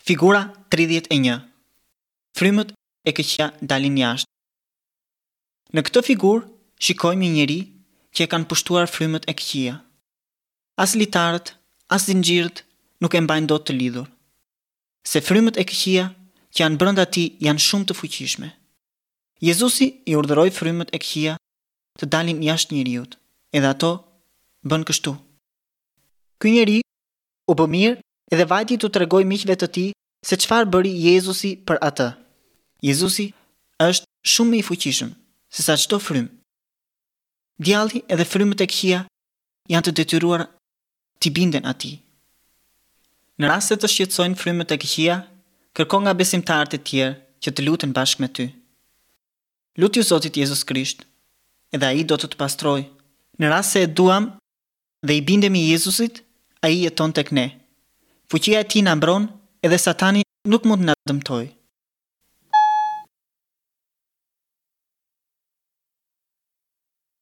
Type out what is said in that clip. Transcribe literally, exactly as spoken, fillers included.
Figura tridhjetë e një. Frymët e këqija dalin jashtë. Në këtë figurë shikojmë një njeri që e kanë pushtuar frymët e këqija. As litarët, as zinxhirët nuk e mbajnë dot të lidhur. Se frymët e këqija që janë brenda tij janë shumë të fuqishme. Jezusi i urdhëroi frymët e këqija të dalin jashtë njeriut, edhe ato bën kështu. Ky njeri u bë mirë edhe vajti t'u tregoj miqve të tij se çfarë bëri Jezusi për atë. Jezusi është shumë më i fuqishëm se sa çdo frymë. Djalli edhe frymët e këqija janë të detyruar t'i binden atij. Në rast se të shqetësojnë frymët e këqija, kërko nga besimtarët e tjerë që të luten bashkë me ty. Lutju Zotit Jezus Krisht, edhe ai do të të pastrojë. Në rast se e duam dhe i bindemi Jezusit, ai jeton tek ne. Fuqia e tij na mbron edhe Satani nuk mund të na dëmtojë.